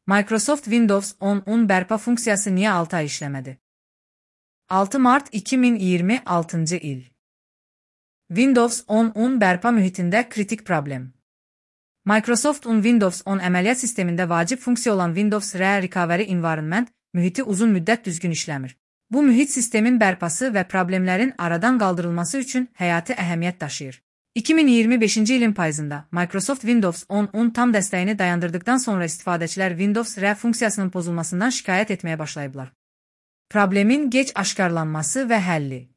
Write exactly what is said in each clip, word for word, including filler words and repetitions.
Microsoft Windows on bərpa funksiyası niyə altı ay işləmədi? altı mart iki min iyirmi altıncı il. Windows on bərpa mühitində kritik problem. Microsoft Windows on əməliyyat sistemində vacib funksiya olan Windows Recovery Environment mühiti uzun müddət düzgün işləmir. Bu mühit sistemin bərpası və problemlərin aradan qaldırılması üçün həyati əhəmiyyət daşıyır. iki min iyirmi beşinci ilin payızında Microsoft Windows on tam dəstəyini dayandırdıqdan sonra istifadəçilər Windows R funksiyasının pozulmasından şikayət etməyə başlayıblar. Problemin gec aşkarlanması və həlli.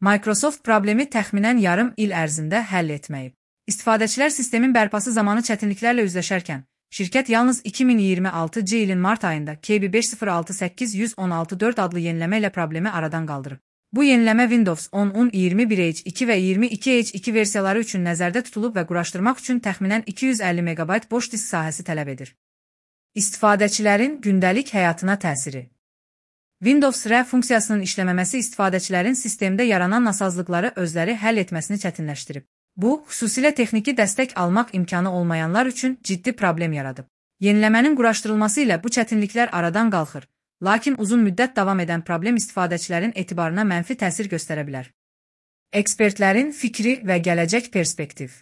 Microsoft problemi təxminən yarım il ərzində həll etməyib. İstifadəçilər sistemin bərpası zamanı çətinliklərlə üzləşərkən, şirkət yalnız iki min iyirmi altıncı ilin mart ayında K B beş sıfır altı səkkiz yüz on altı dörd adlı yeniləmə ilə problemi aradan qaldırıb. Bu yeniləmə Windows on iyirmi bir H iki və iyirmi iki H iki versiyaları üçün nəzərdə tutulub və quraşdırmaq üçün təxminən iki yüz əlli megabayt boş disk sahəsi tələb edir. İstifadəçilərin gündəlik həyatına təsiri. Windows R funksiyasının işləməməsi istifadəçilərin sistemdə yaranan nasazlıqları özləri həll etməsini çətinləşdirib. Bu, xüsusilə texniki dəstək almaq imkanı olmayanlar üçün ciddi problem yaradıb. Yeniləmənin quraşdırılması ilə bu çətinliklər aradan qalxır, lakin uzun müddət davam edən problem istifadəçilərin etibarına mənfi təsir göstərə bilər. Ekspertlərin fikri və gələcək perspektiv.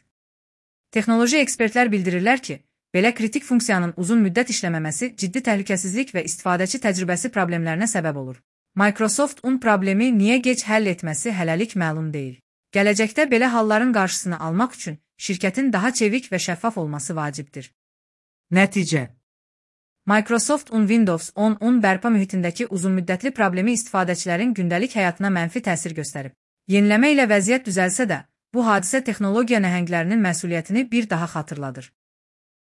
Texnoloji ekspertlər bildirirlər ki, belə kritik funksiyanın uzun müddət işləməməsi ciddi təhlükəsizlik və istifadəçi təcrübəsi problemlərinə səbəb olur. Microsoft on problemi niyə gec həll etməsi hələlik məlum deyil. Gələcəkdə belə halların qarşısını almaq üçün şirkətin daha çevik və şəffaf olması vacibdir. Nəticə. Microsoft on Windows on bərpa mühitindəki uzunmüddətli problemi istifadəçilərin gündəlik həyatına mənfi təsir göstərib. Yeniləmə ilə vəziyyət düzəlsə də, bu hadisə texnologiya nəhənglərinin məsuliyyətini bir daha xatırladır.